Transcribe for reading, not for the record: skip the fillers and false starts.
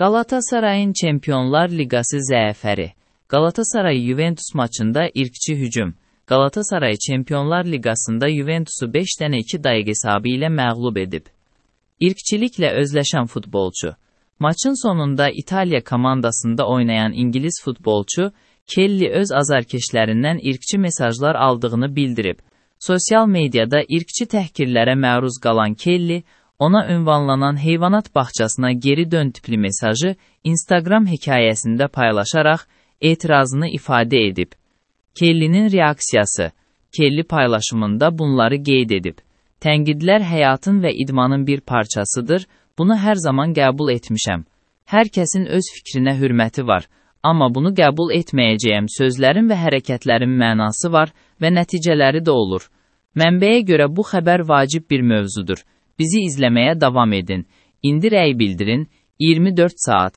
Qalatasarayın Çempionlar Liqası zəfəri. Galatasaray-Juventus maçında irqçi hücum. Galatasaray Çempionlar Liqasında Juventusu 5-2 dəqiq hesabı ilə məğlub edib. İrqçiliklə özləşən futbolçu. Maçın sonunda İtaliya komandasında oynayan İngilis futbolçu, Kelly öz azarkeşlərindən irqçi mesajlar aldığını bildirib. Sosial mediada irqçi təhqirlərə məruz qalan Kelly, ona ünvanlanan heyvanat bağçasına geri dön tipli mesajı Instagram hekayəsində paylaşaraq etirazını ifadə edib. Kelly'nin reaksiyası. Kelly paylaşımında bunları qeyd edib. Tənqidlər həyatın və idmanın bir parçasıdır, bunu hər zaman qəbul etmişəm. Hər kəsin öz fikrinə hörməti var, amma bunu qəbul etməyəcəyəm sözlərin və hərəkətlərin mənası var və nəticələri də olur. Mənbəyə görə bu xəbər vacib bir mövzudur. Bizi izləməyə davam edin. İndi rəy bildirin, 24 saat.